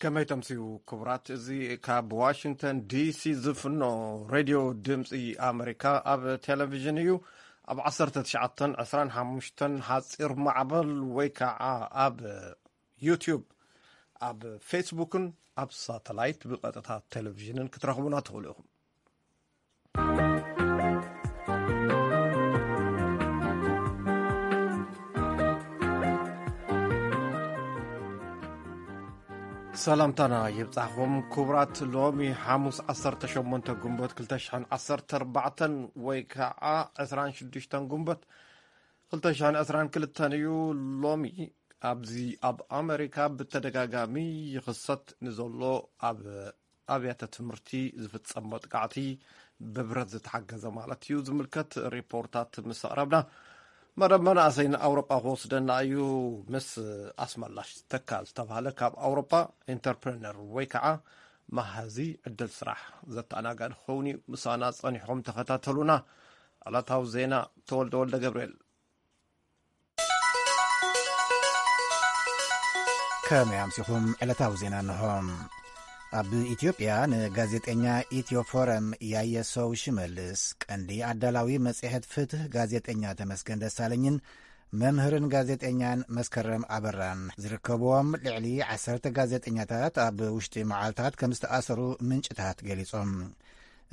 ከመይ ተምስዩ ክቡራት? እዚ ካብ ዋሽንግተን ዲሲ ዝፍኖ ሬድዮ ድምፂ ኣመሪካ ኣብ ቴሌቪዥን እዩ። ኣብ ዓሰርተ ትሽዓተን ዕስራን ሓሙሽተን ሓፂር ማዕበል ወይ ከዓ ኣብ ዩቲዩብ፣ ኣብ ፌስቡክን ኣብ ሳተላይት ብቐጥታ ቴሌቪዥንን ክትረኽቡና ትኽእሉ ኢኹም። ሰላምታና ይብጻሕኹም ክቡራት። ሎሚ ሓሙስ ዓሰርተ ሸሞንተ ጉንበት ክልተ ሽሕን ዓሰርተ ኣርባዕተን ወይ ከዓ ዕስራን ሽዱሽተን ጉንበት ክልተ ሽሕን ዕስራን ክልተን እዩ። ሎሚ ኣብዚ ኣብ ኣመሪካ ብተደጋጋሚ ይኽሰት ንዘሎ ኣብ ኣብያተ ትምህርቲ ዝፍጸም መጥቃዕቲ ብብረት ዝተሓገዘ ማለት እዩ ዝምልከት ሪፖርታት ምስ ኣቕረብና፣ መደብ መናእሰይ ንኣውሮጳ ክወስደና እዩ። ምስ ኣስመላሽ ተካ ዝተባህለ ካብ ኣውሮጳ ኢንተርፕረነር ወይ ከዓ መሃዚ ዕድል ስራሕ ዘተኣናጋዲ ክኸውን እዩ። ምሳና ጸኒሕኩም ተኸታተሉና። ዕለታዊ ዜና ተወልደ ወልደ ገብርኤል። ከመይ ኣምሲኹም? ዕለታዊ ዜና እንሆ። ኣብ ኢትዮጵያ ንጋዜጠኛ ኢትዮ ፎረም ያየሰው ሽመልስ፣ ቀንዲ ኣዳላዊ መጽሔት ፍትህ ጋዜጠኛ ተመስገን ደሳለኝን መምህርን ጋዜጠኛን መስከረም ኣበራን ዝርከብዎም ልዕሊ ዓሰርተ ጋዜጠኛታት ኣብ ውሽጢ መዓልታት ከም ዝተኣሰሩ ምንጭታት ገሊጾም።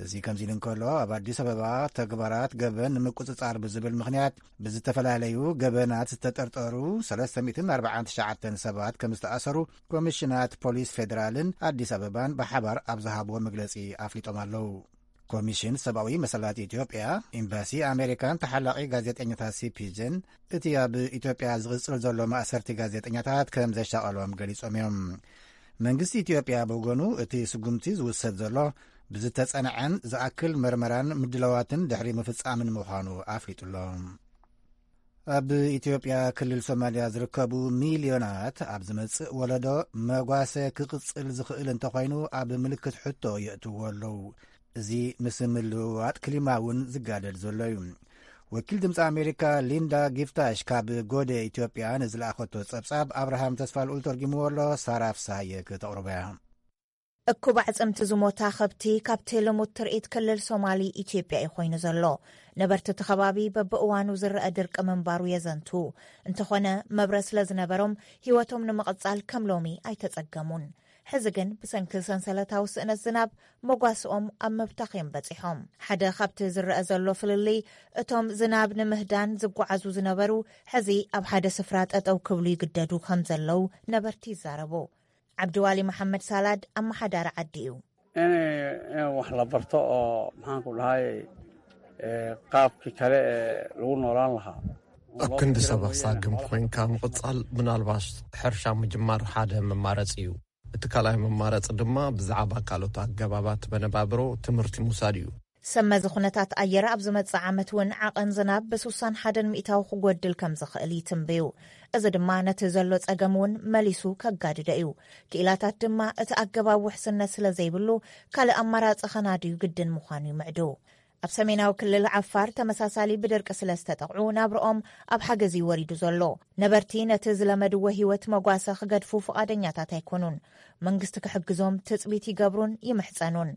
እዚ ከምዚ ኢሉ እንከሎ፣ ኣብ ኣዲስ ኣበባ ተግባራት ገበን ንምቁጽጻር ብዝብል ምኽንያት ብዝተፈላለዩ ገበናት ዝተጠርጠሩ ሰለስተ ሚእትን ኣርባዓን ትሽዓተን ሰባት ከም ዝተኣሰሩ ኮሚሽናት ፖሊስ ፌደራልን ኣዲስ ኣበባን ብሓባር ኣብ ዝሃብዎ መግለጺ ኣፍሊጦም ኣለዉ። ኮሚሽን ሰብኣዊ መሰላት ኢትዮጵያ፣ ኤምባሲ ኣሜሪካን ተሓላቒ ጋዜጠኛታት ሲፒጀን እቲ ኣብ ኢትዮጵያ ዝቕጽል ዘሎ ማእሰርቲ ጋዜጠኛታት ከም ዘሻቐሎም ገሊጾም እዮም። መንግስቲ ኢትዮጵያ ብወገኑ፣ እቲ ስጉምቲ ዝውሰድ ዘሎ ብዝተጸንዐን ዝኣክል መርመራን ምድላዋትን ድሕሪ ምፍጻምን ምዃኑ ኣፍሊጡ ኣሎ። ኣብ ኢትዮጵያ ክልል ሶማልያ ዝርከቡ ሚልዮናት ኣብ ዝመጽእ ወለዶ መጓሰ ክቕጽል ዝኽእል እንተኾይኑ ኣብ ምልክት ሕቶ የእትዎ ኣለዉ። እዚ ምስ ምልውዋጥ ክሊማ እውን ዝጋደድ ዘሎ እዩ። ወኪል ድምፂ ኣሜሪካ ሊንዳ ጊፍታሽ ካብ ጎደ ኢትዮጵያ ንዝለኣኸቶ ጸብጻብ ኣብርሃም ተስፋልኡል ተርጊምዎ ኣሎ። ሳራ ፍስሃየ ክተቕርቦ እያ። እኩብ ኣዕጽምቲ ዝሞታ ከብቲ ካብቲ ልሙድ ትርኢት ክልል ሶማሊ ኢትዮጵያ እዩ ኮይኑ ዘሎ። ነበርቲ እቲ ከባቢ በብእዋኑ ዝረአ ድርቂ ምንባሩ የዘንቱ። እንተኾነ፣ መብረ ስለ ዝነበሮም ህይወቶም ንምቕጻል ከም ሎሚ ኣይተጸገሙን። ሕዚ ግን ብሰንኪ ሰንሰለታዊ ስእነት ዝናብ መጓስኦም ኣብ ምብታኽ እዮም በጺሖም። ሓደ ካብቲ ዝረአ ዘሎ ፍልልይ፣ እቶም ዝናብ ንምህዳን ዝጓዓዙ ዝነበሩ፣ ሕዚ ኣብ ሓደ ስፍራ ጠጠው ክብሉ ይግደዱ ከም ዘለዉ ነበርቲ ይዛረቡ። ዓብዲዋሊ መሓመድ ሳላድ ኣመሓዳሪ ዓዲ እዩ። in wax la barto oo maxaan ku dhahay qaabkii kale ee lagu noolaan lahaa. ኣብ ክንዲ ሰብ ኣሳግም ኮይንካ ምቕጻል፣ ምናልባሽ ሕርሻ ምጅማር ሓደ መማረጺ እዩ። እቲ ካልኣይ መማረጺ ድማ ብዛዕባ ካልኦት ኣገባባት መነባብሮ ትምህርቲ ምውሳድ እዩ። ሰመዚ ኩነታት ኣየር ኣብ ዝመጽእ ዓመት እውን ዓቐን ዝናብ ብስሳን ሓደን ሚእታዊ ክጎድል ከም ዝኽእል ይትንብዩ። እዚ ድማ ነቲ ዘሎ ጸገም እውን መሊሱ ከጋድዶ እዩ። ክኢላታት ድማ እቲ ኣገባብ ውሕስነት ስለ ዘይብሉ ካልእ ኣማራጺ ከናድዩ ግድን ምዃኑ ይምዕዱ። ኣብ ሰሜናዊ ክልል ዓፋር ተመሳሳሊ ብድርቂ ስለ ዝተጠቕዑ ናብርኦም ኣብ ሓገዝ እዩ ወሪዱ ዘሎ። ነበርቲ ነቲ ዝለመድዎ ህይወት መጓሰ ክገድፉ ፍቓደኛታት ኣይኮኑን። መንግስቲ ክሕግዞም ትጽቢት ይገብሩን ይምሕጸኑን።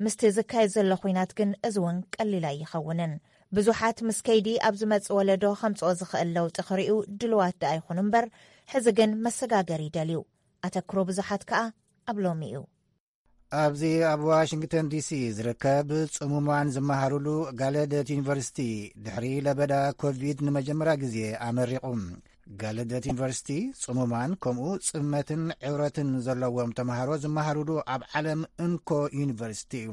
ምስቲ ዝካየድ ዘሎ ኹናት ግን እዚ እውን ቀሊል ኣይኸውንን። ብዙሓት ምስ ከይዲ ኣብ ዝመጽእ ወለዶ ከምጽኦ ዝኽእል ለውጢ ክርእዩ ድልዋት ደኣ ይኹኑ እምበር፣ ሕዚ ግን መሰጋገሪ ይደልዩ። ኣተክሮ ብዙሓት ከኣ ኣብ ሎሚ እዩ። ኣብዚ ኣብ ዋሽንግተን ዲሲ ዝርከብ ጽሙማን ዝመሃሩሉ ጋለደት ዩኒቨርሲቲ ድሕሪ ለበዳ ኮቪድ ንመጀመርያ ግዜ ኣመሪቑ። ጋለደት ዩኒቨርሲቲ ጽሙማን ከምኡ ጽመትን ዕውረትን ዘለዎም ተምሃሮ ዝመሃሩሉ ኣብ ዓለም እንኮ ዩኒቨርሲቲ እዩ።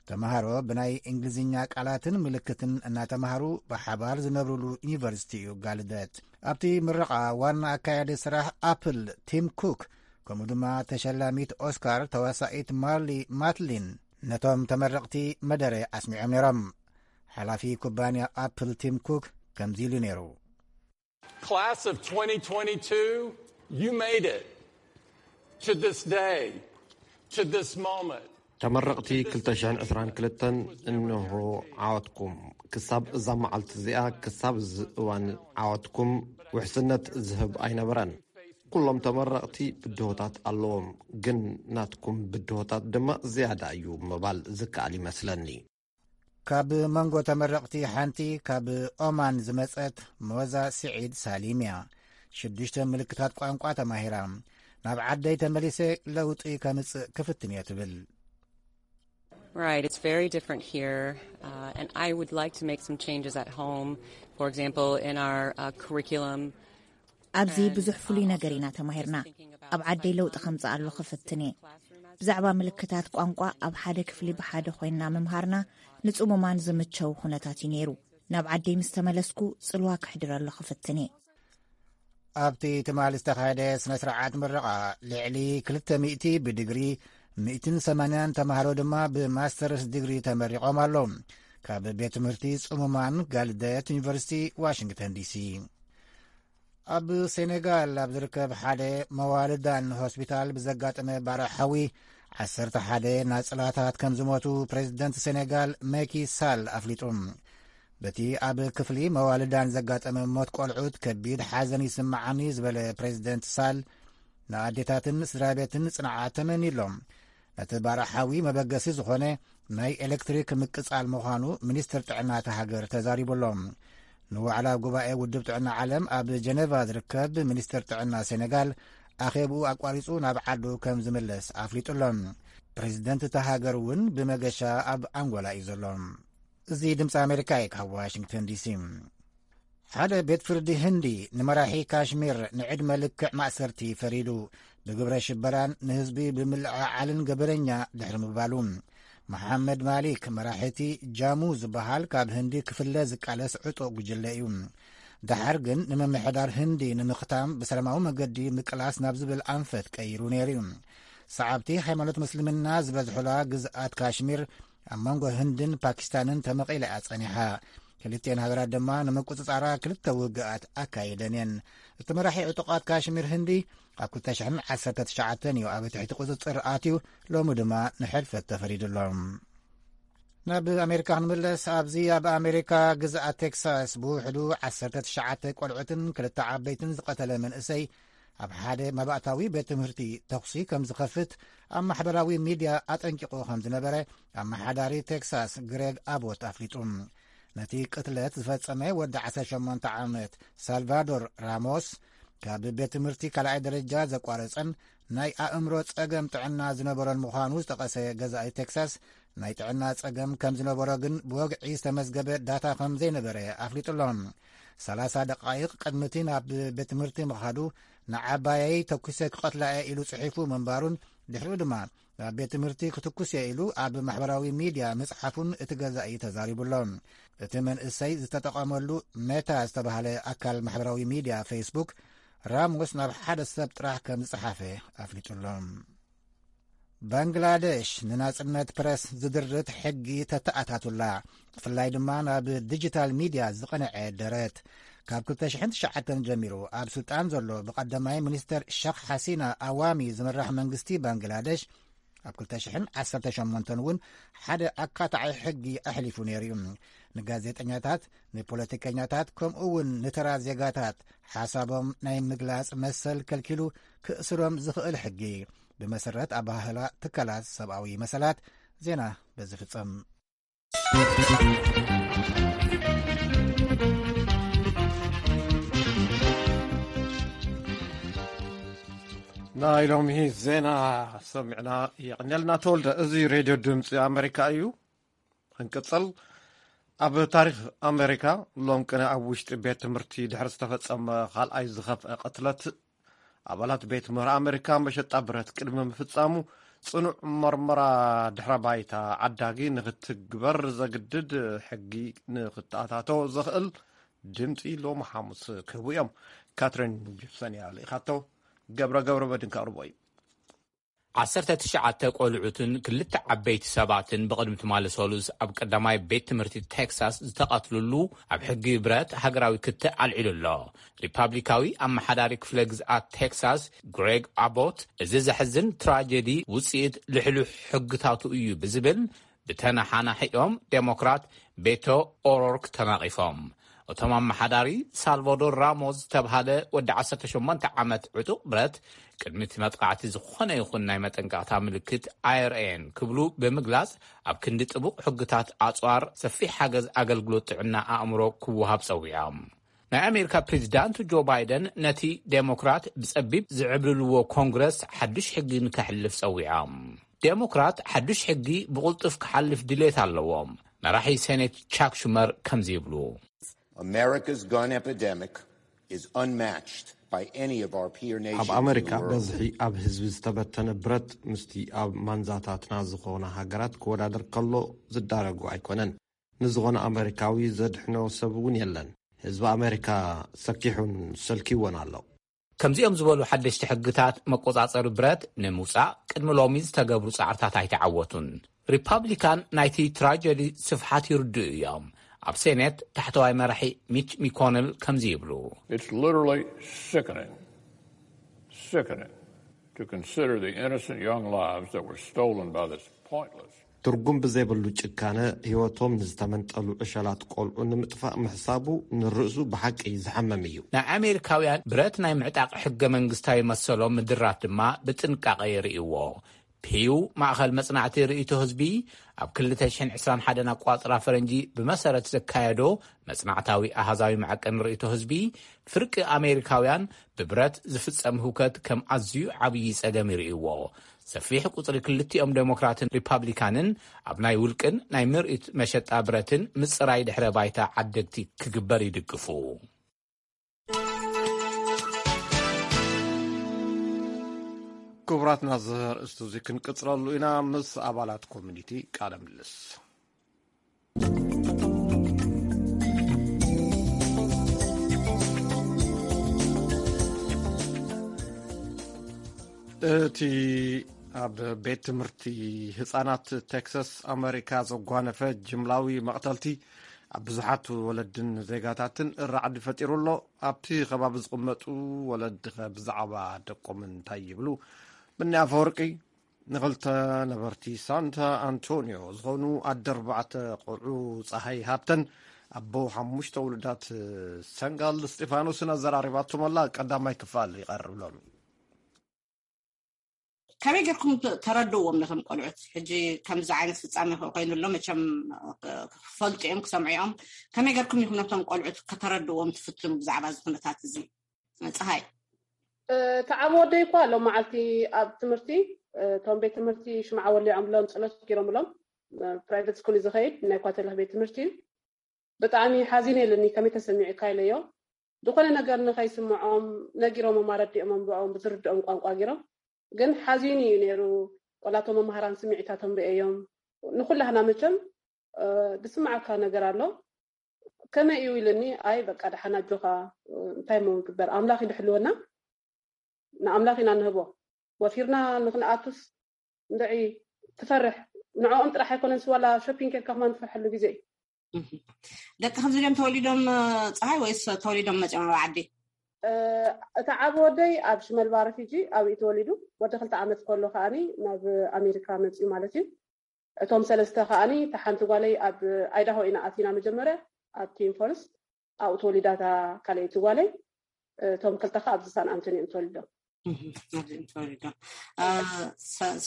ተምሃሮ ብናይ እንግሊዝኛ ቃላትን ምልክትን እናተምሃሩ ብሓባር ዝነብሩሉ ዩኒቨርሲቲ እዩ ጋልደት። ኣብቲ ምረቓ ዋና ኣካያዲ ስራሕ ኣፕል ቲም ኩክ ከምኡ ድማ ተሸላሚት ኦስካር ተዋሳኢት ማርሊ ማትሊን ነቶም ተመረቕቲ መደረ ኣስሚዖም ነይሮም። ሓላፊ ኩባንያ ኣፕል ቲም ኩክ ከምዚ ኢሉ ነይሩ። Class of twenty twenty-two, you made it to this day, to this moment. ተመረቕቲ ክልተ ሽሕን ዕስራን ክልተን እንሆ ዓወትኩም። ክሳብ እዛ መዓልቲ እዚኣ፣ ክሳብ እዚ እዋን ዓወትኩም ውሕስነት ዝህብ ኣይነበረን። ኩሎም ተመረቕቲ ብድሆታት ኣለዎም፣ ግን ናትኩም ብድሆታት ድማ ዝያዳ እዩ ምባል ዝከኣል ይመስለኒ። ካብ መንጎ ተመረቕቲ ሓንቲ ካብ ኦማን ዝመጸት ሞዛ ስዒድ ሳሊም እያ። ሽዱሽተ ምልክታት ቋንቋ ተማሂራ፣ ናብ ዓደይ ተመሊሰ ለውጢ ከምጽእ ክፍትን እየ ትብል። Right, it's very different here, uh, and I would like to make some changes at home. For example, in our uh, curriculum. ኣብዚ ብዙሕ ፍሉይ ነገር ኢና ተማሂርና። ኣብ ዓደይ ለውጢ ከምጽእ ኣሎ ክፍትን እየ። ብዛዕባ ምልክታት ቋንቋ ኣብ ሓደ ክፍሊ ብሓደ ኮይንና ምምሃርና ንጽሙማን ዝምቸው ኩነታት እዩ ነይሩ። ናብ ዓደይ ምስ ተመለስኩ ጽልዋ ክሕድረሉ ክፍትን እየ። ኣብቲ ትማሊ ዝተኻየደ ስነ ስርዓት ምረቓ ልዕሊ ክልተ ሚእቲ ብድግሪ ሚእትን ሰማንያን ተማሃሮ ድማ ብማስተርስ ዲግሪ ተመሪቖም ኣለዉ። ካብ ቤት ትምህርቲ ጽሙማን ጋልደት ዩኒቨርሲቲ ዋሽንግተን ዲሲ። ኣብ ሴኔጋል ኣብ ዝርከብ ሓደ መዋልዳን ሆስፒታል ብዘጋጠመ ባርዕ ሓዊ ዓሰርተ ሓደ ናጽላታት ከም ዝሞቱ ፕሬዚደንት ሴኔጋል መኪ ሳል ኣፍሊጡ። በቲ ኣብ ክፍሊ መዋልዳን ዘጋጠመ ሞት ቆልዑት ከቢድ ሓዘን ይስምዓኒ ዝበለ ፕሬዚደንት ሳል፣ ንኣዴታትን ስድራ ቤትን ጽንዓት ተመንዩሎም። ነቲ ባርዕ ሓዊ መበገሲ ዝኾነ ናይ ኤሌክትሪክ ምቅጻል ምዃኑ ሚኒስትር ጥዕና እታ ሃገር ተዛሪቡሎም። ንዋዕላ ጉባኤ ውድብ ጥዕና ዓለም ኣብ ጀነቫ ዝርከብ ሚኒስትር ጥዕና ሴኔጋል ኣኼብኡ ኣቋሪጹ ናብ ዓዱ ከም ዝምለስ ኣፍሊጡሎም። ፕሬዚደንት እታ ሃገር እውን ብመገሻ ኣብ ኣንጎላ እዩ ዘሎ። እዚ ድምፂ ኣሜሪካ እዩ ካብ ዋሽንግተን ዲሲ። ሓደ ቤት ፍርዲ ህንዲ ንመራሒ ካሽሚር ንዕድመ ልክዕ ማእሰርቲ ፈሪዱ፣ ብግብረ ሽበራን ንህዝቢ ብምልዕዓልን ገበነኛ ድሕሪ ምባሉ። መሓመድ ማሊክ መራሒ እቲ ጃሙ ዝበሃል ካብ ህንዲ ክፍለ ዝቃለስ ዕጡቕ ጉጅለ እዩ። ደሓር ግን ንምምሕዳር ህንዲ ንምኽታም ብሰላማዊ መገዲ ምቅላስ ናብ ዝብል ኣንፈት ቀይሩ ነይሩ እዩ። ሰዓብቲ ሃይማኖት ምስልምና ዝበዝሑላ ግዝኣት ካሽሚር ኣብ መንጎ ህንድን ፓኪስታንን ተመቒላ እያ ጸኒሓ። ክልቲኤን ሃገራት ድማ ንምቁጽጻራ ክልተ ውግኣት ኣካይደን እየን። እቲ መራሒ ዕጡቓት ካሽሚር ህንዲ ኣብ ክልተ ሽሕን ዓሰርተ ትሽዓተን እዩ ኣብ ትሕቲ ቁጽጽር ኣትዩ፣ ሎሚ ድማ ንሕልፈት ተፈሪዱሎም። ናብ ኣሜሪካ ክንምለስ፣ ኣብዚ ኣብ ኣሜሪካ ግዝኣት ቴክሳስ ብውሕዱ ዓሰርተ ትሽዓተ ቆልዑትን ክልተ ዓበይትን ዝቐተለ መንእሰይ ኣብ ሓደ መባእታዊ ቤት ትምህርቲ ተኹሲ ከም ዝኸፍት ኣብ ማሕበራዊ ሚድያ ኣጠንቂቑ ከም ዝነበረ ኣመሓዳሪ ቴክሳስ ግሬግ ኣቦት ኣፍሊጡ። ነቲ ቅትለት ዝፈጸመ ወዲ ዓሰርተ ሸሞንተ ዓመት ሳልቫዶር ራሞስ ካብ ቤት ትምህርቲ ካልኣይ ደረጃ ዘቋረጸን ናይ ኣእምሮ ጸገም ጥዕና ዝነበሮን ምዃኑ ዝጠቐሰ ገዛኢ ቴክሳስ፣ ናይ ጥዕና ጸገም ከም ዝነበሮ ግን ብወግዒ ዝተመዝገበ ዳታ ከም ዘይነበረ ኣፍሊጡሎም። ሰላሳ ደቓይቕ ቅድሚ እቲ ናብ ቤት ትምህርቲ ምኻዱ ንዓባየይ ተኩሰ ክቐትላ እየ ኢሉ ጽሒፉ ምንባሩን ድሕሪኡ ድማ ናብ ቤት ትምህርቲ ክትኩስ እየ ኢሉ ኣብ ማሕበራዊ ሚድያ ምጽሓፉን እቲ ገዛኢ ተዛሪቡሎ። እቲ መንእሰይ ዝተጠቐመሉ ሜታ ዝተባህለ ኣካል ማሕበራዊ ሚድያ ፌስቡክ ራሞስ ናብ ሓደ ሰብ ጥራሕ ከም ዝጸሓፈ ኣፍሊጡሎ። ባንግላደሽ ንናጽነት ፕረስ ዝድርት ሕጊ ተተኣታቱላ፣ ብፍላይ ድማ ናብ ዲጂታል ሚድያ ዝቐንዐ ደረት። ካብ ክልተ ሽሕን ትሽዓተን ጀሚሩ ኣብ ስልጣን ዘሎ ብቐዳማይ ሚኒስተር ሸኽ ሓሲና ኣዋሚ ዝምራሕ መንግስቲ ባንግላደሽ ኣብ ክልተ ሽሕን ዓሰርተ ሸሞንተን እውን ሓደ ኣካታዒ ሕጊ ኣሕሊፉ ነይሩ እዩ። ንጋዜጠኛታት፣ ንፖለቲከኛታት፣ ከምኡ እውን ንተራ ዜጋታት ሓሳቦም ናይ ምግላጽ መሰል ከልኪሉ ክእስሮም ዝኽእል ሕጊ፣ ብመሰረት ኣባህላ ትካላት ሰብኣዊ መሰላት። ዜና በዚ ፍጸም። ናይ ሎሚ ዜና ሰሚዕና የቐንየልና ተወልደ። እዚ ሬድዮ ድምፂ ኣሜሪካ እዩ። ክንቅፅል፣ ኣብ ታሪክ ኣሜሪካ ሎም ቅነ ኣብ ውሽጢ ቤት ትምህርቲ ድሕሪ ዝተፈፀመ ካልኣይ ዝኸፍአ ቅትለት፣ ኣባላት ቤት ምህሮ ኣሜሪካ መሸጣ ብረት ቅድሚ ምፍፃሙ ፅኑዕ መርመራ ድሕረ ባይታ ዓዳጊ ንክትግበር ዘግድድ ሕጊ ንክተኣታቶ ዘኽእል ድምፂ ሎም ሓሙስ ክህቡ እዮም። ካትሪን ጂፕሰን እያ ልኢኻቶ። ገብረ ገብረ መድን ከቕርቦ እዩ። ዓሰርተ ትሽዓተ ቆልዑትን ክልተ ዓበይቲ ሰባትን ብቕድሚ ትማሊ ሰሉስ ኣብ ቀዳማይ ቤት ትምህርቲ ቴክሳስ ዝተቐትልሉ ኣብ ሕጊ ብረት ሃገራዊ ክትዕ ኣልዒሉ ኣሎ። ሪፓብሊካዊ ኣመሓዳሪ ክፍለ ግዝኣት ቴክሳስ ግሬግ ኣቦት፣ እዚ ዘሕዝን ትራጀዲ ውፅኢት ልሕሉሕ ሕግታቱ እዩ ብዝብል ብተነሓናሒኦም ዴሞክራት ቤቶ ኦሮርክ ተናቒፎም። እቶም ኣመሓዳሪ፣ ሳልቫዶር ራሞስ ዝተብሃለ ወዲ ዓሰርተ ሸሞንተ ዓመት ዕጡቕ ብረት፣ ቅድሚ እቲ መጥቃዕቲ ዝኾነ ይኹን ናይ መጠንቀቕታ ምልክት ኣየርኣየን ክብሉ ብምግላጽ፣ ኣብ ክንዲ ጥቡቕ ሕግታት ኣጽዋር፣ ሰፊሕ ሓገዝ ኣገልግሎት ጥዕና ኣእምሮ ክወሃብ ጸዊዖም። ናይ ኣሜሪካ ፕሬዚዳንት ጆ ባይደን ነቲ ዴሞክራት ብጸቢብ ዝዕብልልዎ ኮንግረስ ሓዱሽ ሕጊ ንከሕልፍ ጸዊዖም። ዴሞክራት ሓዱሽ ሕጊ ብቕልጡፍ ክሓልፍ ድሌት ኣለዎም። መራሒ ሴኔት ቻክ ሹመር ከምዚ ይብሉ። America's gun epidemic is unmatched by any of our peer nations. ኣብ ኣመሪካ በዝሒ ኣብ ህዝቢ ዝተበተነ ብረት ምስቲ ኣብ ማንዛታትና ዝኾና ሃገራት ክወዳደር ከሎ ዝዳረጉ ኣይኮነን። ንዝኾነ ኣመሪካዊ ዘድሕኖ ሰብ እውን የለን። ህዝቢ ኣመሪካ ሰኪሑን ሰልኪዎን ኣሎ። ከምዚኦም ዝበሉ ሓደሽቲ ሕግታት መቆጻጸሪ ብረት ንምውጻእ ቅድሚ ሎሚ ዝተገብሩ ጻዕርታት ኣይተዓወቱን። ሪፓብሊካን ናይቲ ትራጀዲ ስፍሓት ይርድኡ እዮም። ኣብ ሴኔት ታሕተዋይ መራሒ ሚች ሚኮነል ከምዚ ይብሉ። It's literally sickening, sickening to consider the innocent young lives that were stolen by this pointless ትርጉም ብዘይብሉ ጭካነ ህይወቶም ንዝተመንጠሉ ዕሸላት ቆልዑ ንምጥፋእ ምሕሳቡ ንርእሱ ብሓቂ ዘሓመም እዩ። ናይ ኣሜሪካውያን ብረት ናይ ምዕጣቕ ሕገ መንግስታዊ መሰሎም ምድራት ድማ ብጥንቃቐ ይርእይዎ። ፒው ማእኸል መጽናዕቲ ርእይቶ ህዝቢ ኣብ ክልተ ሽሕን ዕስራን ሓደን ኣቋጽራ ፈረንጂ ብመሰረት ዘካየዶ መጽናዕታዊ ኣሃዛዊ መዐቀኒ ርእይቶ ህዝቢ፣ ፍርቂ ኣሜሪካውያን ብብረት ዝፍጸም ህውከት ከም ኣዝዩ ዓብዪ ጸገም ይርእይዎ። ሰፊሕ ቁጽሪ ክልቲኦም ዴሞክራትን ሪፓብሊካንን ኣብ ናይ ውልቅን ናይ ምርኢት መሸጣ ብረትን ምጽራይ ድሕረ ባይታ ዓደግቲ ክግበር ይድግፉ። ክቡራትና፣ እዚ ኣርእስቲ እዚ ክንቅጽለሉ ኢና ምስ ኣባላት ኮሚኒቲ ቃለ ምልልስ። እቲ ኣብ ቤት ትምህርቲ ህጻናት ቴክሳስ ኣመሪካ ዘጓነፈ ጅምላዊ መቕተልቲ ኣብ ብዙሓት ወለድን ዜጋታትን ራዕዲ ፈጢሩ ኣሎ። ኣብቲ ከባቢ ዝቕመጡ ወለድኸ ብዛዕባ ደቆም እንታይ ይብሉ? ብኒ ኣፈወርቂ ንኽልተ ነበርቲ ሳንታ ኣንቶኒዮ ዝኾኑ ኣደ ኣርባዕተ ቆልዑ ጸሃይ ሃብተን ኣቦ ሓሙሽተ ውሉዳት ሰንጋል እስጢፋኖስን ኣዘራሪባቶም ኣላ። ቀዳማይ ክፋል ይቐርብ ሎሚ። ከመይ ጌርኩም ተረድእዎም ነቶም ቆልዑት? ሕጂ ከምዚ ዓይነት ፍጻሜ ኮይኑ ኣሎ፣ መቸም ክፈልጡ እዮም፣ ክሰምዑ እዮም። ከመይ ጌርኩም ኢኹም ነቶም ቆልዑት ከተረድእዎም ትፍትኑ ብዛዕባ እዚ ኩነታት እዚ? ፀሃይ። እቲ ዓቢ ወደይ እኳ ሎም መዓልቲ ኣብ ትምህርቲ፣ እቶም ቤት ትምህርቲ ሽምዓ ወሊዖምሎም፣ ጸሎት ገይሮምሎም፣ ፕራይቨት ስኩል ዝኸይድ ናይ ኳተልክ ቤት ትምህርቲ እዩ። ብጣዕሚ ሓዚነ ኢሉኒ። ከመይ ተሰሚዑካ ኢለዮ። ዝኾነ ነገር ንኸይስምዖም ነጊሮሞም፣ ኣረዲኦሞም፣ ብኦም ብዝርድኦም ቋንቋ ገይሮም። ግን ሓዚኑ እዩ ነይሩ። ቆላቶም መምሃራን ስምዒታቶም ርእዮም። ንኹላህና መቸም ዝስምዓካ ነገር ኣሎ። ከመይ እዩ ኢሉኒ። ኣይ በቃ ደሓን ኣጆኻ፣ እንታይ ሞ ግበር፣ ኣምላኽ እዩ ድሕልወና፣ ንኣምላኽ ኢና ንህቦ። ወፊርና ንክንኣቱስ እንድዒ ትፈርሕ። ንዕኦም ጥራሕ ኣይኮነን፣ ስዋላ ሾፒንግ ጌርካ ከማን ትፈርሐሉ ግዜ እዩ። ደቂ ከምዚ ድዮም ተወሊዶም ፀሃይ ወይስ ተወሊዶም መፂኦም ኣብ ዓዲ? እቲ ዓቢ ወደይ ኣብ ሽመልባ ረፊጂ ኣብ እዩ ተወሊዱ። ወዲ ክልተ ዓመት ከሎ ከዓኒ ናብ ኣሜሪካ መፅኡ ማለት እዩ። እቶም ሰለስተ ከዓኒ፣ እታ ሓንቲ ጓለይ ኣብ ኣይዳሆ ኢና ኣቲና መጀመርያ፣ ኣብ ቲም ፎረስት ኣብኡ ተወሊዳ፣ እታ ካልኣይቲ ጓለይ። እቶም ክልተ ከ ኣብዚ ሳን ኣንቶኒ እዮም ተወሊዶም። ተወሊዶም።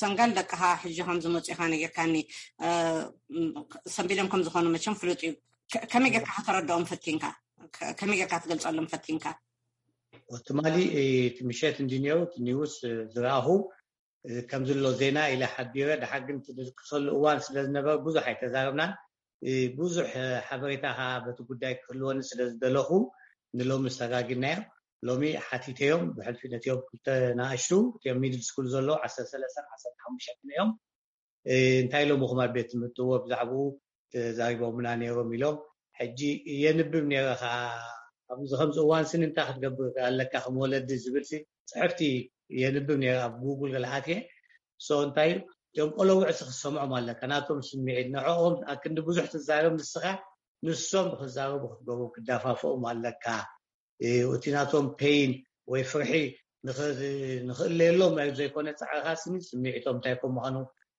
ሰንጋል ደቅኻ ሕጂ ከም ዝመፁ ኢኻ ነጊርካኒ። ሰንቢዶም ከም ዝኾኑ መቸም ፍሉጥ እዩ። ከመይ ጌርካ ከተረድኦም ፈቲንካ? ከመይ ጌርካ ትገልፀሎም ፈቲንካ? ትማሊ እቲ ምሸት እንዲ ነይሩ እቲ ኒውስ ዝረኣኹ ከም ዘሎ ዜና ኢለ ሓቢረ። ደሓር ግን እቲ ድልክሰሉ እዋን ስለ ዝነበረ ብዙሕ ኣይተዛረብናን። ብዙሕ ሓበሬታ ከዓ በቲ ጉዳይ ክህልወኒ ስለ ዝደለኹ ንሎሚ ሰጋጊናዮ። ሎሚ ሓቲተዮም ብሕልፊ ነቲኦም ክልተ ንኣሽቱ እቲኦም ሚድል ስኩል ዘለዉ ዓሰርተ ሰለስተ ዓሰርተ ሓሙሽተ እዮም። እንታይ ኢሎም ኹም ኣብ ቤት ትምህርትዎ ብዛዕባኡ ተዛሪቦምና ነይሮም ኢሎም። ሕጂ የንብብ ነይረ ከዓ ኣብዚ ከምዚ እዋን ስኒ እንታይ ክትገብር ኣለካ ከም ወለዲ ዝብል ሲ ፅሕፍቲ የንብብ ነይረ ኣብ ጉጉል ገለ ኣትየ። ሶ እንታይ እዩ እቶም ቆለውዕ ሲ ክሰምዖም ኣለካ ናቶም ስምዒት ንዕኦም ኣክንዲ ብዙሕ ትዛረብ ንስኻ ንሶም ክዛረቡ ክትገብሩ ክዳፋፍኦም ኣለካ። እቲ ናቶም ፔይን ወይ ፍርሒ ንኽእለየሎም ናይ ዘይኮነ ፃዕርኻ ስኒ ስምዒቶም እንታይ ከም ምዃኑ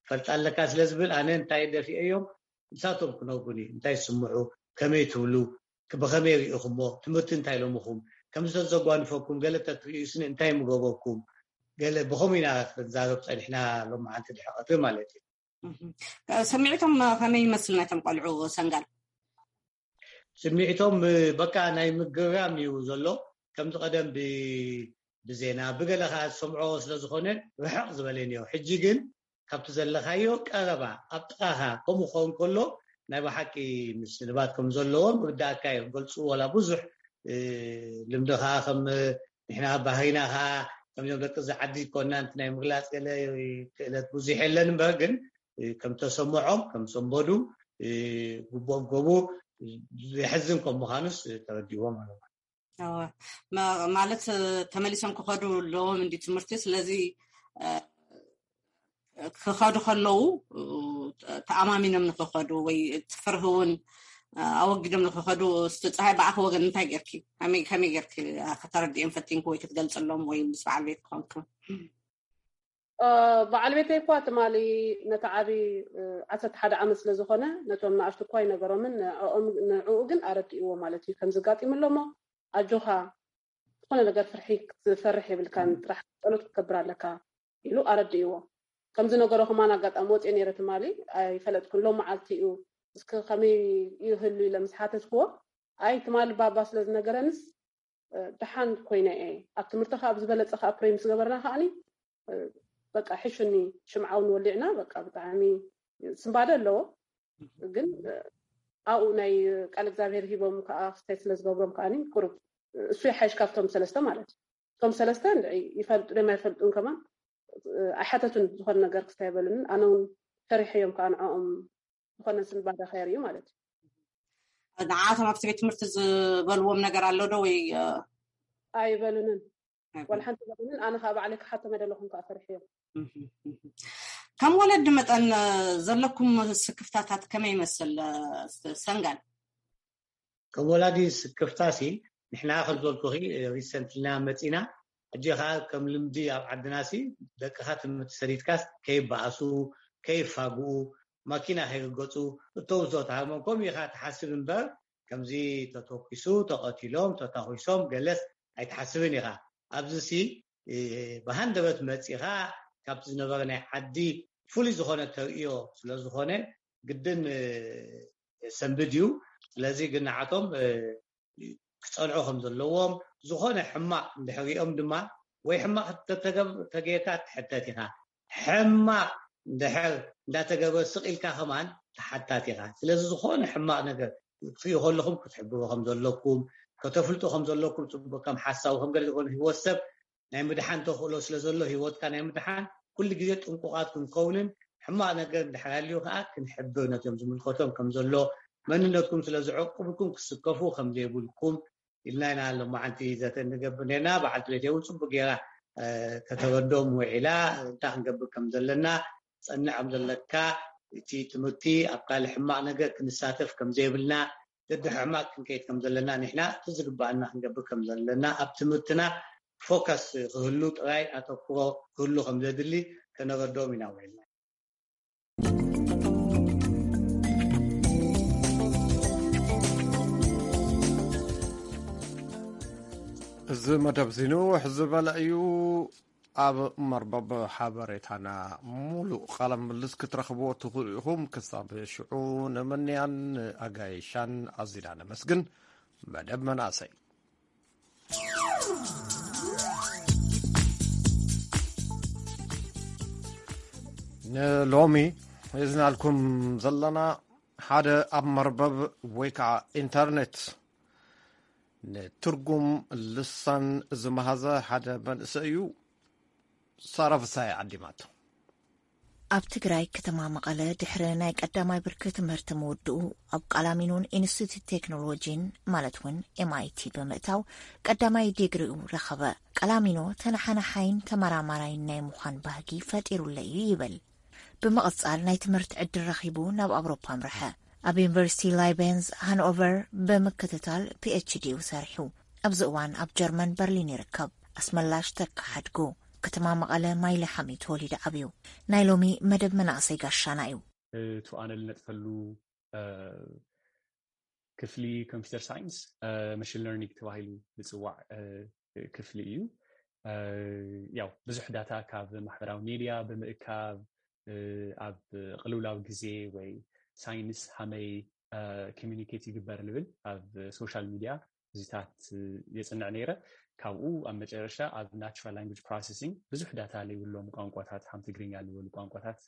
ፈልጣ ኣለካ ስለ ዝብል ኣነ እንታይ ደፊኤ እዮም ንሳቶም ክነግሩኒ እንታይ ስምዑ ከመይ ትብሉ ብኸመይ ርኢኹሞ? ትምህርቲ እንታይ ኢሎምኹም? ከምዚ ተዘጓንፈኩም፣ ገለ ተትርእዩ ስኒ እንታይ ምገበኩም? ገለ ብኸምኡ ኢና ክንዛረብ ጸኒሕና ሎማዓንቲ ድሕሪ ቀትሪ ማለት እዩ። እህ። ሰሚዕቶም ከመይ ይመስል ናይቶም ቆልዑ ሰንጋል? ስምዒቶም በቃ ናይ ምግርራም እዩ ዘሎ። ከምዚ ቀደም ብ- ብዜና ብገለ ከዓ ዝሰምዖ ስለ ዝኾነ ርሕቕ ዝበለ ነዮ። ሕጂ ግን ካብቲ ዘለኻዮ ቀረባ ኣብ ጥቓኻ ከምኡ ክኸውን ከሎ ናይ ብሓቂ ምስልባት ከም ዘለዎም ርዳእካ እዮም ገልፁ። ዋላ ብዙሕ ልምዲ ከዓ ከም ንሕና ባህሪና ከዓ ከምዞም ደቂ እዚ ዓዲ ኮና ናይ ምግላፅ ገለ ክእለት ብዙሕ የለን እምበር ግን ከም ተሰምዖም ከም ሰንበዱ ግቦም ገቡ። የሕዝን ከም ምዃኑስ ተረዲዎም ኣለዎ። ማለት ተመሊሶም ክኸዱ ኣለዎም እንዲ ትምህርቲ። ስለዚ ክኸዱ ከለዉ ተኣማሚኖም ንክኸዱ ወይ ፍርህ እውን ኣወጊዶም ንክኸዱ፣ እስቲ ፀሃይ ብኣኺ ወገን እንታይ ጌርኪ? ከመይ ጌርኪ ከተረድኦም ፈቲንኪ ወይ ክትገልፅሎም ወይ ምስ በዓል ቤት ክኾንክ? በዓል ቤተይ እኳ ትማሊ ነቲ ዓቢ ዓሰርተ ሓደ ዓመት ስለ ዝኾነ ነቶም ንኣሽቱ እኳ ይነገሮምን ንዕኡ ግን ኣረድእዎ ማለት እዩ። ከምዚ ኣጋጢሙ ኣሎ እሞ ኣጆኻ ዝኾነ ነገር ፍርሒ ክትፈርሕ የብልካን ጥራሕ ጸሎት ክትገብር ኣለካ ኢሉ ኣረድእዎ። ከምዚ ነገሮ ከማን ኣጋጣሚ ወፅየ ነይረ ትማሊ ኣይፈለጥኩን። ሎም መዓልቲ እዩ እስኪ ከመይ ይህሉ ኢለ ምስ ሓተትክዎ ኣይ ትማሊ ባባ ስለ ዝነገረንስ ደሓን ኮይነ እየ ኣብ ትምህርቲ ከዓ ብዝበለፀ ከዓ ፕሬ ምስ ገበርና ከዓኒ በቃ ሕሹኒ ሽምዓ እውን ወሊዕና በቃ ብጣዕሚ ስንባደ ኣለዎ ግን ኣብኡ ናይ ቃል እግዚኣብሔር ሂቦም ከዓ ክስታይ ስለ ዝገብሮም ከዓኒ ቁሩብ እሱ ይሓይሽ ካብቶም ሰለስተ ማለት እዩ እቶም ሰለስተ እንድዒ ይፈልጡ ዶም ኣይፈልጡን ከማን ኣይሓተቱን ዝኾነ ነገር ክስታይ ኣይበሉንን ኣነ እውን ፈሪሐዮም ከዓ ንዕኦም ዝኾነ ስንባደ ከየርእዩ ማለት እዩ ንዓቶም ኣብቲ ቤት ትምህርቲ ዝበልዎም ነገር ኣሎ ዶ ወይ ኣይበሉንን ዋላ ሓንቲ በሉንን ኣነ ከዓ ባዕለይ ክሓቶም ኣይደለኹም ከዓ ፈሪሐዮም ከም ወለዲ መጠን ዘለኩም ስክፍታታት ከመይ ይመስል ሰንጋል ከም ወላዲ ስክፍታሲ ንሕና ከም ዝበልኩኺ ሪሰንትልና መፂና ሕጂ ከዓ ከም ልምዲ ኣብ ዓድናሲ ደቅኻ ትምህርቲ ሰዲድካስ ከይበኣሱ ከይፋግኡ ማኪና ከይርገፁ እተውሶ ተሃርሞም ከምኡ ኢኻ ትሓስብ እምበር ከምዚ ተተኪሱ ተቐቲሎም ተታኺሶም ገለስ ኣይትሓስብን ኢኻ ኣብዚሲ ብሃንደበት መፂኻ ካብቲ ዝነበረ ናይ ዓዲ ፍሉይ ዝኾነ ተርእዮ ስለዝኾነ ግድን ሰንብድ እዩ ስለዚ ግን ንዓቶም ክፀንዑ ከም ዘለዎም ዝኾነ ሕማቕ እንድሕሪኦም ድማ ወይ ሕማቕ ተጌርካ ትሕተት ኢኻ ሕማቕ እንድሕር እንዳተገብረ ስቕ ኢልካ ከማን ተሓታት ኢኻ ስለዚ ዝኾነ ሕማቕ ነገር ክትርእዩ ከለኹም ክትሕብሩ ከም ዘለኩም ከተፍልጡ ከም ዘለኩም ፅቡቅ ከም ሓሳቡ ከም ገለ ዝኾነ ህይወት ሰብ ናይ ምድሓን ተኽእሎ ስለ ዘሎ ህይወትካ ናይ ምድሓን ኩሉ ግዜ ጥንቁቓት ክንከውንን ሕማቕ ነገር እንድሕር ሃልዩ ከዓ ክንሕብር ነቶም ዝምልከቶም ከም ዘሎ መንነትኩም ስለ ዝዕቅብኩም ክስከፉ ከም ዘይብልኩም ኢልና ኢና ሎማዓንቲ ዘተ እንገብር ነርና በዓልቲ ቤት እውን ፅቡቅ ገይራ ከተረዶም ውዒላ እንታይ ክንገብር ከም ዘለና ፀንዕ ከም ዘለካ እቲ ትምህርቲ ኣብ ካልእ ሕማቕ ነገር ክንሳተፍ ከም ዘይብልና ደድሕሪ ሕማቕ ክንከይድ ከም ዘለና ንሕና እቲ ዝግባኣና ክንገብር ከም ዘለና ኣብ ትምህርትና ፎከስ ክህሉ ጥራይ ኣተኩሮ ክህሉ ከም ዘድሊ ከነረድኦም ኢና ውዒልና። እዚ መደብ እዚ ንውሕ ዝበለ እዩ። ኣብ መርበብ ሓበሬታና ሙሉእ ቃለ ምልልስ ክትረኽብዎ ትኽእሉ ኢኹም። ክሳብ ሽዑ ንምንያን ኣጋይሻን ኣዚና ነመስግን። መደብ መናእሰይ ንሎሚ ሒዝናልኩም ዘለና ሓደ ኣብ መርበብ ወይ ከዓ ኢንተርኔት ንትርጉም ልሳን ዝመሃዘ ሓደ መንእሰይ እዩ። ሳራ ፍሳይ ዓዲማቶ። ኣብ ትግራይ ከተማ መቐለ ድሕሪ ናይ ቀዳማይ ብርኪ ትምህርቲ ምውድኡ ኣብ ቃላሚኖን ኢንስቲትዩት ቴክኖሎጂን ማለት እውን ኤምኣይቲ ብምእታው ቀዳማይ ዲግሪኡ ረኸበ። ቃላሚኖ ተነሓናሓይን ተመራማራይን ናይ ምዃን ባህጊ ፈጢሩለይ እዩ ይብል። ብምቕጻል ናይ ትምህርቲ ዕድል ረኺቡ ናብ ኣውሮፓ ኣምርሐ። ኣብ ዩኒቨርሲቲ ላይቤንዝ ሃንኦቨር ብምክትታል ፒኤችዲኡ ሰሪሑ። ኣብዚ እዋን ኣብ ጀርመን በርሊን ይርከብ። ኣስመላሽ ተካ ሓድጉ፣ ከተማ መቐለ ማይለ ሓሚ ተወሊዱ ዓብዩ። ናይ ሎሚ መደብ መናእሰይ ጋሻና እዩ። እቱ ኣነ ልነጥፈሉ ክፍሊ ኮምፒውተር ሳይንስ፣ መሽን ለርኒንግ ተባሂሉ ዝፅዋዕ ክፍሊ እዩ። ያው ብዙሕ ዳታ ካብ ማሕበራዊ ሚድያ ብምእካብ፣ ኣብ ቅልውላው ግዜ ወይ ሳይንስ ሃመይ ኮሚኒኬት ይግበር ንብል ኣብ ሶሻል ሚድያ እዚታት የፅንዕ ነይረ። ካብኡ ኣብ መጨረሻ ኣብ ናቹራል ላንጉጅ ፕሮሰሲንግ ብዙሕ ዳታ ዘይብሎም ቋንቋታት፣ ከም ትግርኛ ዝበሉ ቋንቋታት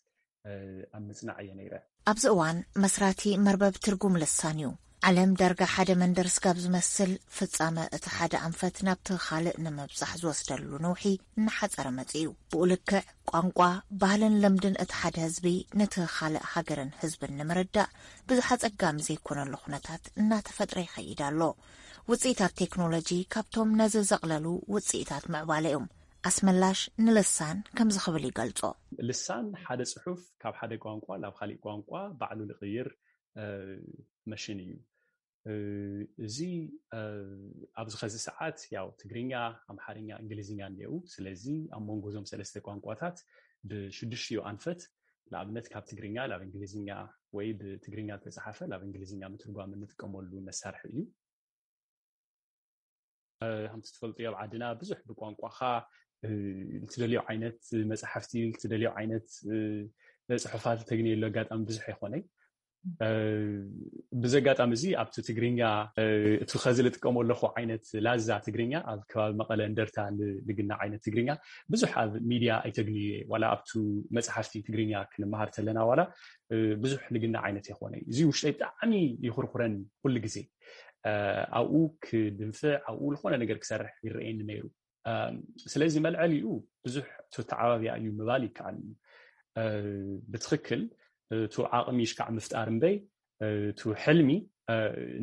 ኣብ ምፅናዕ እየ ነይረ። ኣብዚ እዋን መስራቲ መርበብ ትርጉም ልሳን እዩ። ዓለም ዳርጋ ሓደ መንደር ስጋብ ዝመስል፣ ፍጻመ እቲ ሓደ ኣንፈት ናብቲ ካልእ ንምብጻሕ ዝወስደሉ ነውሒ እናሓጸረ መጺኡ እዩ። ብኡ ልክዕ ቋንቋ፣ ባህልን ልምድን እቲ ሓደ ህዝቢ ነቲ ካልእ ሃገርን ህዝብን ንምርዳእ ብዙሕ ኣጸጋሚ ዘይኮነሉ ኩነታት እናተፈጥረ ይኸይድ ኣሎ። ውጽኢታት ቴክኖሎጂ ካብቶም ነዚ ዘቕለሉ ውጽኢታት ምዕባለ እዮም። ኣስመላሽ ንልሳን ከምዚ ክብል ይገልጾ። ልሳን ሓደ ጽሑፍ ካብ ሓደ ቋንቋ ናብ ካሊእ ቋንቋ ባዕሉ ዝቕይር መሽን እዩ። እዚ ኣብዚ ኸዚ ሰዓት ያው ትግርኛ፣ ኣምሓርኛ፣ እንግሊዝኛ እኒአው። ስለዚ ኣብ መንጎ እዞም ሰለስተ ቋንቋታት ብሽዱሽቲኡ ኣንፈት፣ ንኣብነት ካብ ትግርኛ ናብ እንግሊዝኛ ወይ ብትግርኛ ዝተፅሓፈ ናብ እንግሊዝኛ ምትርጓም እንጥቀመሉ መሳርሒ እዩ። ከምቲ ትፈልጥዮ ኣብ ዓድና ብዙሕ ብቋንቋኻ እትደልዮ ዓይነት መፅሓፍቲ፣ እትደልዮ ዓይነት ፅሑፋት እተግንየሉ ኣጋጣሚ ብዙሕ ኣይኮነይ። ብዚ ኣጋጣሚ እዚ ኣብቲ ትግርኛ እቲ ኸዚ ዝጥቀሞ ኣለኹ ዓይነት ላዛ ትግርኛ ኣብ ከባቢ መቐለ እንደርታ ልግና ዓይነት ትግርኛ ብዙሕ ኣብ ሚድያ ኣይተግንዩ እየ። ዋላ ኣብቱ መፅሓፍቲ ትግርኛ ክንመሃር ተለና ዋላ ብዙሕ ልግና ዓይነት ኣይኮነይ። እዚ ውሽጠይ ብጣዕሚ ይኹርኩረን ኩሉ ግዜ። ኣብኡ ክድንፍዕ፣ ኣብኡ ዝኾነ ነገር ክሰርሕ ይረኣየኒ ነይሩ። ስለዚ መልዐሊኡ ብዙሕ ተተዓባቢያ እዩ ምባል ይከኣል እዩ። ብትኽክል እቱ ዓቕሚ ሽካዕ ምፍጣር እምበይ እቱ ሕልሚ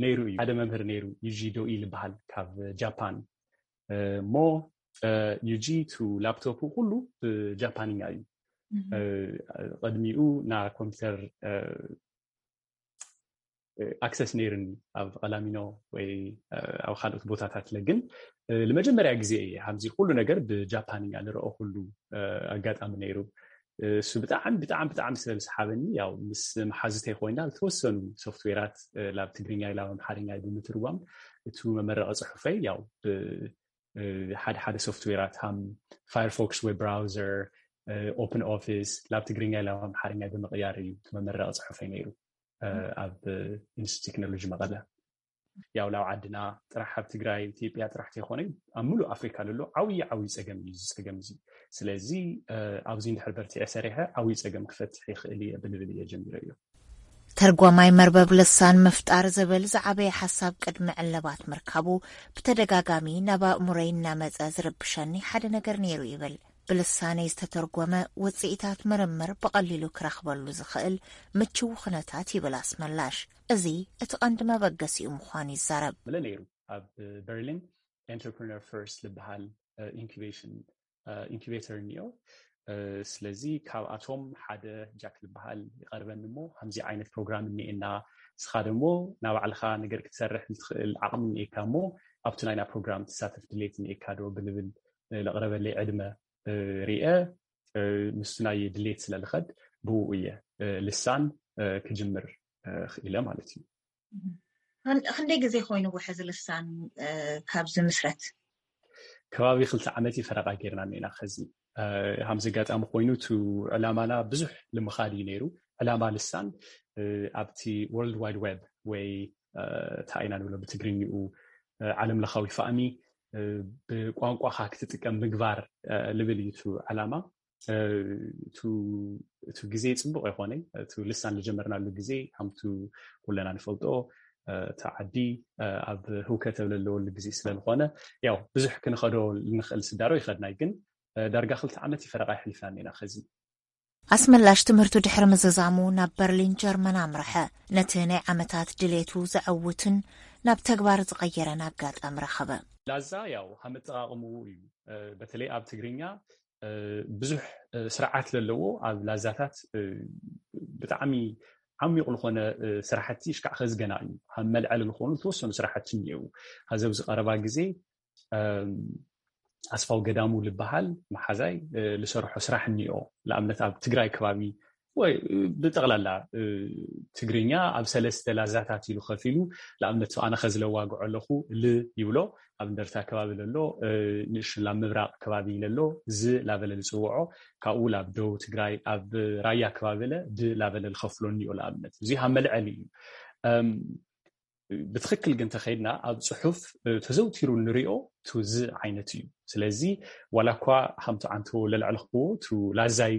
ነይሩ እዩ። ሓደ መምህር ነይሩ፣ ዩጂ ዶኢ ዝበሃል ካብ ጃፓን። እሞ ዩጂ ቱ ላፕቶፕ ኩሉ ብጃፓንኛ እዩ። ቅድሚኡ ና ኮምፒውተር ኣክሰስ ነይርኒ ኣብ ቀላሚኖ ወይ ኣብ ካልኦት ቦታታት ለ ግን ንመጀመርያ ግዜ እየ ከምዚ ኩሉ ነገር ብጃፓንኛ ንረኦ ኩሉ ኣጋጣሚ ነይሩ። እሱ ብጣዕሚ ብጣዕሚ ብጣዕሚ ስለ ዝሰሓበኒ ያው ምስ መሓዝተይ ኮይና ዝተወሰኑ ሶፍትዌራት ላብ ትግርኛ ኢላ ኣምሓርኛ ብምትርጓም እቱ መመረቂ ፅሑፈይ ያው ሓደ ሓደ ሶፍትዌራት ሃም ፋየርፎክስ ዌብ ብራውዘር፣ ኦፕን ኦፊስ ላብ ትግርኛ ኢላ ኣምሓርኛ ብምቕያር እዩ እቲ መመረቂ ፅሑፈይ ነይሩ። ኣብ ኢንስቲትዩት ቴክኖሎጂ መቐለ ያው ላብ ዓድና ጥራሕ ኣብ ትግራይ ኢትዮጵያ ጥራሕ ተይኮነ ኣብ ሙሉእ ኣፍሪካ ዘሎ ዓብዪ ዓብዪ ፀገም እዩ እዚ ፀገም እዚ። ስለዚ ኣብዚ እንድሕር በርቲዐ ሰሪሐ ዓብዪ ፀገም ክፈትሕ ይኽእል እየ ብልብል እየ ጀሚረ እዮ። ተርጓማይ መርበብ ልሳን ምፍጣር ዝብል ዝዓበየ ሓሳብ ቅድሚ ዕለባት ምርካቡ ብተደጋጋሚ ናብ ኣእምሮይ እናመፀ ዝርብሸኒ ሓደ ነገር ነይሩ ይብል። ብልሳነይ ዝተተርጎመ ውፅኢታት ምርምር ብቐሊሉ ክረኽበሉ ዝኽእል ምችው ኩነታት ይብል ኣስመላሽ። እዚ እቲ ቀንዲ መበገሲኡ ምዃኑ ይዛረብ። ምለ ነይሩ ኣብ በርሊን ኤንተርፕረነር ፈርስት ዝበሃል ኢንኩቤሽን ኢንኩቤተር እኒኦ። ስለዚ ካብኣቶም ሓደ ጃክ ዝበሃል ይቐርበኒ እሞ ከምዚ ዓይነት ፕሮግራም እኒኤና፣ ንስኻ ደሞ ናባዕልኻ ነገር ክትሰርሕ ንትኽእል ዓቕሚ እኒኤካ እሞ ኣብቲ ናይና ፕሮግራም ትሳተፍ ድሌት እኒኤካ ዶ ብልብል ለቕረበለይ ዕድመ ርአ ምስቲ ናይ ድሌት ስለ ልኸድ ብኡ እየ ልሳን ክጅምር ክኢለ ማለት እዩ። ክንደይ ግዜ ኮይኑ ውሕዚ ልሳን ካብ ዝምስረት? ከባቢ ክልተ ዓመት እዩ ፈረቓ ጌርና እኒና። ከዚ ሃምዚ ኣጋጣሚ ኮይኑ እቲ ዕላማና ብዙሕ ልምኻድ እዩ ነይሩ። ዕላማ ልሳን ኣብቲ ወርልድ ዋይድ ዌብ ወይ እንታይ ኢና ንብሎ ብትግርኝኡ ዓለም ለኻዊ ፋእሚ ብቋንቋኻ ክትጥቀም ምግባር ልብል እዩ እቲ ዕላማ። እቲ ግዜ ፅቡቅ ኣይኮነ። እቲ ልሳን ዝጀመርናሉ ግዜ ከምቱ ኩለና ንፈልጦ እቲ ዓዲ ኣብ ህውከት ኣብ ዘለወሉ ግዜ ስለዝኮነ ያው ብዙሕ ክንኸዶ ንኽእል ስዳሮ ይኸድናይ ግን ዳርጋ ክልተ ዓመት ይፈረቃ ይሕልፍና ኔና ከዚ ኣስመላሽ ትምህርቱ ድሕሪ ምዝዛሙ ናብ በርሊን ጀርመን ኣምርሐ። ነቲ ናይ ዓመታት ድሌቱ ዘዐውትን ናብ ተግባር ዝቐየረን ኣጋጣሚ ረኸበ። ላዛ ያው ሃመጠቃቕምኡ እዩ። በተለይ ኣብ ትግርኛ ብዙሕ ስርዓት ለለዎ ኣብ ላዛታት ብጣዕሚ ዓሚቕ ዝኾነ ስራሕቲ ሽካዕ ከዝገና እዩ። ካብ መልዐሊ ዝኾኑ ዝተወሰኑ ስራሕቲ እኒአው። ሀዚ ኣብዚ ቀረባ ግዜ ኣስፋው ገዳሙ ዝበሃል መሓዛይ ዝሰርሖ ስራሕ እኒኦ። ንኣብነት ኣብ ትግራይ ከባቢ ወይ ብጠቕላላ ትግርኛ ኣብ ሰለስተ ላዛታት ኢሉ ከፊሉ። ንኣብነት ኣነ ከዝለዋግዖ ኣለኹ፣ ል ይብሎ፣ ኣብ እንደርታ ከባቢ ለሎ፣ ንእሽላ ምብራቕ ከባቢ ለሎ፣ ዝ ላበለ ዝፅውዖ፣ ካብኡ ላብ ደቡብ ትግራይ ኣብ ራያ ከባቢ ለ ድ ላበለ ዝኸፍሎ እኒኦ። ንኣብነት እዚ ካብ መልዐሊ እዩ። ብትኽክል ግን ተኸይድና ኣብ ፅሑፍ ተዘውቲሩ ንሪኦ ቱ ዝ ዓይነት እዩ። ስለዚ ዋላ እኳ ከምቲ ዓንቶ ለልዕልኽዎ ቱ ላዛይ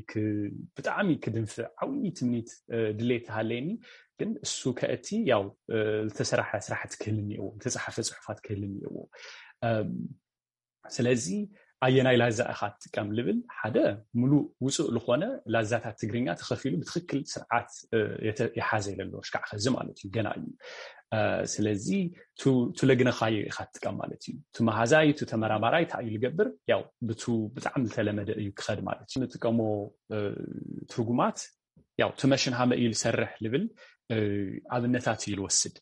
ብጣዕሚ ክድንፍዕ ዓብዪ ትምኒት ድሌት ተሃለየኒ፣ ግን እሱ ከእቲ ያው ዝተሰራሐ ስራሕቲ ክህል እኒእዎ፣ ዝተፃሓፈ ፅሑፋት ክህል እኒእዎ። ስለዚ ኣየናይ ላዛ ኢኻ ትጥቀም ልብል ሓደ ሙሉእ ውፁእ ዝኾነ ላዛታት ትግርኛ ተኸፊሉ ብትኽክል ስርዓት የሓዘ የለሎ ሽካዕ ኸዚ ማለት እዩ፣ ገና እዩ። ስለዚ ቱ ለግነኻዮ ኢኻ ትጥቀም ማለት እዩ። ቱ መሃዛይ ቱ ተመራማራይ እንታይ እዩ ልገብር፣ ያው ብቱ ብጣዕሚ ዝተለመደ እዩ ክኸድ ማለት እዩ። ንጥቀሞ ትርጉማት ያው ቱ መሽን ሃመ እዩ ልሰርሕ ልብል ኣብነታት እዩ ልወስድ።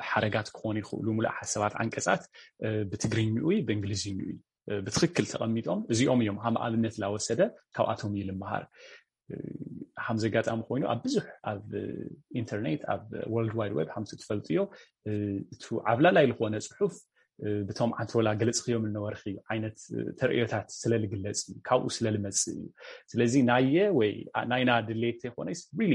ሓረጋት ክኾኑ ይኽእሉ፣ ሙሉእ ሓሳባት፣ ዓንቀፃት ብትግርኝኡ ብእንግሊዝኝኡ ብትኽክል ተቐሚጦም እዚኦም እዮም ሃም ኣብነት ላወሰደ ካብኣቶም እዩ ልምሃር። ሃም ዘጋጣሚ ኮይኑ ኣብ ብዙሕ ኣብ ኢንተርኔት ኣብ ወርልድ ዋይድ ዌብ ሃምቲ ትፈልጥዮ እቱ ዓብላላይ ዝኾነ ፅሑፍ ብቶም ዓንቶላ ገለፅኽዮም እነበርኺ ዓይነት ተርእዮታት ስለልግለፅ እዩ፣ ካብኡ ስለልመፅእ እዩ። ስለዚ ናየ ወይ ናይና ድሌት ተይኮነስ ሪሊ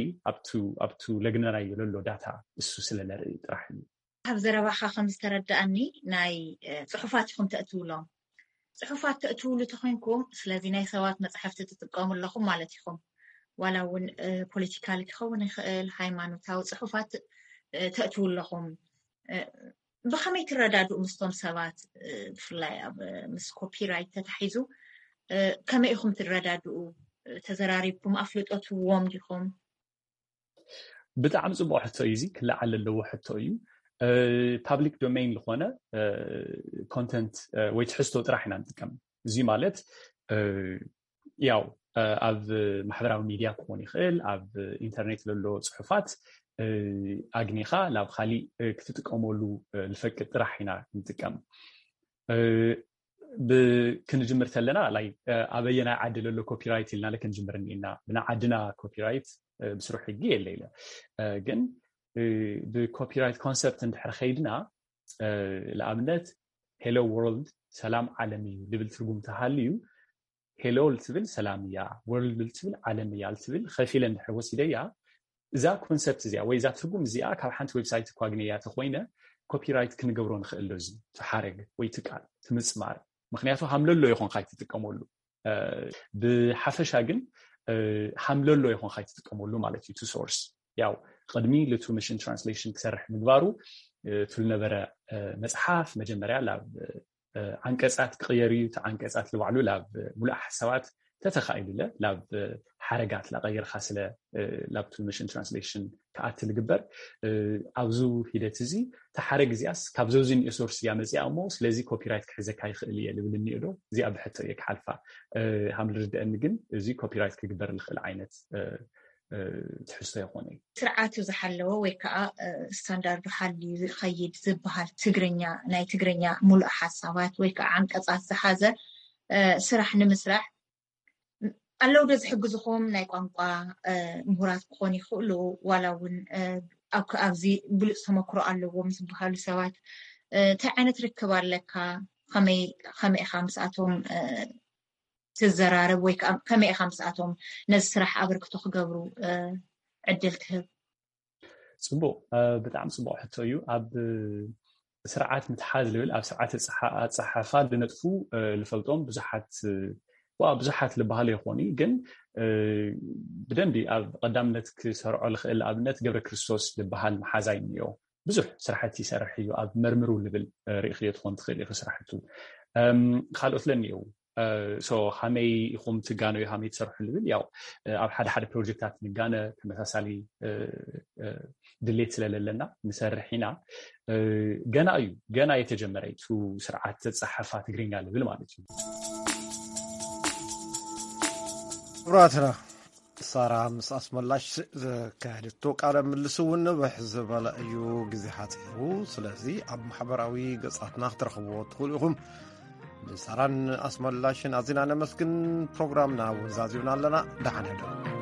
ኣብቱ ለግነናዮ ለሎ ዳታ እሱ ስለነርኢ ጥራሕ እዩ። ካብ ዘረባኻ ከም ዝተረዳእኒ ናይ ፅሑፋት ኢኹም ተእትውሎም። ፅሑፋት ተእትውሉ ተኮይንኩም ስለዚ ናይ ሰባት መፅሓፍቲ ትጥቀሙ ኣለኹም ማለት ኢኹም። ዋላ እውን ፖለቲካል ክኸውን ይኽእል፣ ሃይማኖታዊ ፅሑፋት ተእትው ኣለኹም። ብኸመይ ትረዳድኡ ምስቶም ሰባት? ብፍላይ ኣብ ምስ ኮፒራይት ተታሒዙ ከመይ ኢኹም ትረዳድኡ? ተዘራሪብኩም ኣፍልጦ ትህብዎም ዲኹም? ብጣዕሚ ፅቡቅ ሕቶ እዩ። እዚ ክለዓል ዘለዎ ሕቶ እዩ። ፓብሊክ ዶሜን ዝኾነ ኮንተንት ወይ ትሕዝቶ ጥራሕ ኢና ንጥቀም። እዚ ማለት ያው ኣብ ማሕበራዊ ሚድያ ክኾን ይኽእል፣ ኣብ ኢንተርኔት ዘሎ ፅሑፋት ኣግኒኻ ናብ ካሊእ ክትጥቀመሉ ልፈቅድ ጥራሕ ኢና ንጥቀም። ክንጅምር ተለና ላይ ኣበየናይ ዓዲ ለሎ ኮፒራይት ኢልና ክንጅምር እኒና ብና ዓድና ኮፒራይት ብስሩ ሕጊ የለ ኢለ ግን ብኮፒራይት ኮንሰፕት እንድሕር ከይድና ንኣብነት ሄሎ ወርልድ ሰላም ዓለም እዩ ልብል ትርጉም ተሃልዩ ሄሎ ልትብል ሰላም እያ፣ ወርልድ ልትብል ዓለም እያ ልትብል ከፊለ እንድሕር ወሲደያ እዛ ኮንሰፕት እዚኣ ወይ እዛ ትርጉም እዚኣ ካብ ሓንቲ ዌብሳይት እኳ ግነያ ተኮይነ ኮፒራይት ክንገብሮ ንኽእል ዶ እዚ ትሓረግ ወይ ትቃል ትምፅማር? ምክንያቱ ሃምለሎ ይኾንካ ኣይትጥቀመሉ። ብሓፈሻ ግን ሃምለሎ ይኾንካ ኣይትጥቀመሉ ማለት እዩ። ቱ ሶርስ ያው ቅድሚ ልቱ ምሽን ትራንስሌሽን ክሰርሕ ምግባሩ ቱ ልነበረ መፅሓፍ መጀመርያ ላብ ዓንቀፃት ክቕየር እዩ። እቲ ዓንቀፃት ልባዕሉ ላብ ሙሉእ ሓሳባት ተተኻኢሉለ ላብ ሓረጋት ላቀይርካ ስለ ላብቱ ምሽን ትራንስሌሽን ክኣቲ ልግበር ኣብዚ ሂደት እዚ ተሓረግ እዚኣስ ካብ ዘውዚ ኒኦ ሶርስ እያ መፅኣ እሞ ስለዚ ኮፒራይት ክሕዘካ ይኽእል እየ ልብል እኒኦ ዶ እዚኣ ብሕቶ እየ ክሓልፋ ሃም ልርድአኒ ግን እዚ ኮፒራይት ክግበር ልኽእል ዓይነት ትሕዝቶ ይኾነ እዩ። ስርዓቱ ዝሓለወ ወይ ከዓ ስታንዳርዱ ሓልዩ ዝኸይድ ዝበሃል ትግርኛ ናይ ትግርኛ ሙሉእ ሓሳባት ወይ ከዓ ዓንቀፃት ዝሓዘ ስራሕ ንምስራሕ ኣለዉ ዶ ዝሕግዝኹም ናይ ቋንቋ ምሁራት ክኾኑ ይኽእሉ ዋላ እውን ኣብዚ ብሉፅ ተመክሮ ኣለዎም ዝበሃሉ ሰባት እንታይ ዓይነት ርክብ ኣለካ ከመይ ኢኻ ምስኣቶም ትዘራረብ ወይ ከዓ ከመይ ኢኻ ምስኣቶም ነዚ ስራሕ ኣበርክቶ ክገብሩ ዕድል ትህብ? ፅቡቅ ብጣዕሚ ፅቡቅ ሕቶ እዩ። ኣብ ስርዓት ምትሓዝ ልብል ኣብ ስርዓት ኣፀሓሓፋ ዝነጥፉ ልፈልጦም ብዙሓት ዋ ብዙሓት ልበሃሉ ይኾኑ ግን ብደንቢ ኣብ ቀዳምነት ክሰርዖ ልኽእል ኣብነት ገብረ ክርስቶስ ልበሃል መሓዛይ እኒኦ ብዙሕ ስራሕቲ ይሰርሕ እዩ ኣብ መርምሩ ልብል ርእኽዮ ትኾን ትኽእል ኢኺ ስራሕቱ ካልኦት ለኒየው ሶ ሃመይ ኢኹም ትጋነዩ ሃመይ ትሰርሑ ልብል ያው ኣብ ሓደ ሓደ ፕሮጀክታት ንጋነ ተመሳሳሊ ድሌት ስለለለና ንሰርሕ ኢና ገና እዩ ገና የተጀመረ ቱ ስርዓት ተፀሓፋ ትግርኛ ልብል ማለት እዩ ክቡራትና ሳራ ምስ ኣስመላሽ ዘካየደቶ ቃለ ምልስ እውን ንብሕ ዝበለ እዩ ግዜ ሓፂሩ ስለዚ ኣብ ማሕበራዊ ገፃትና ክትረኽብዎ ትኽእሉ ኢኹም ንሳራን ኣስመላሽን ኣዚና ነመስግን ፕሮግራምና እውን ዛዚምና ኣለና ደሓን ሕደሩ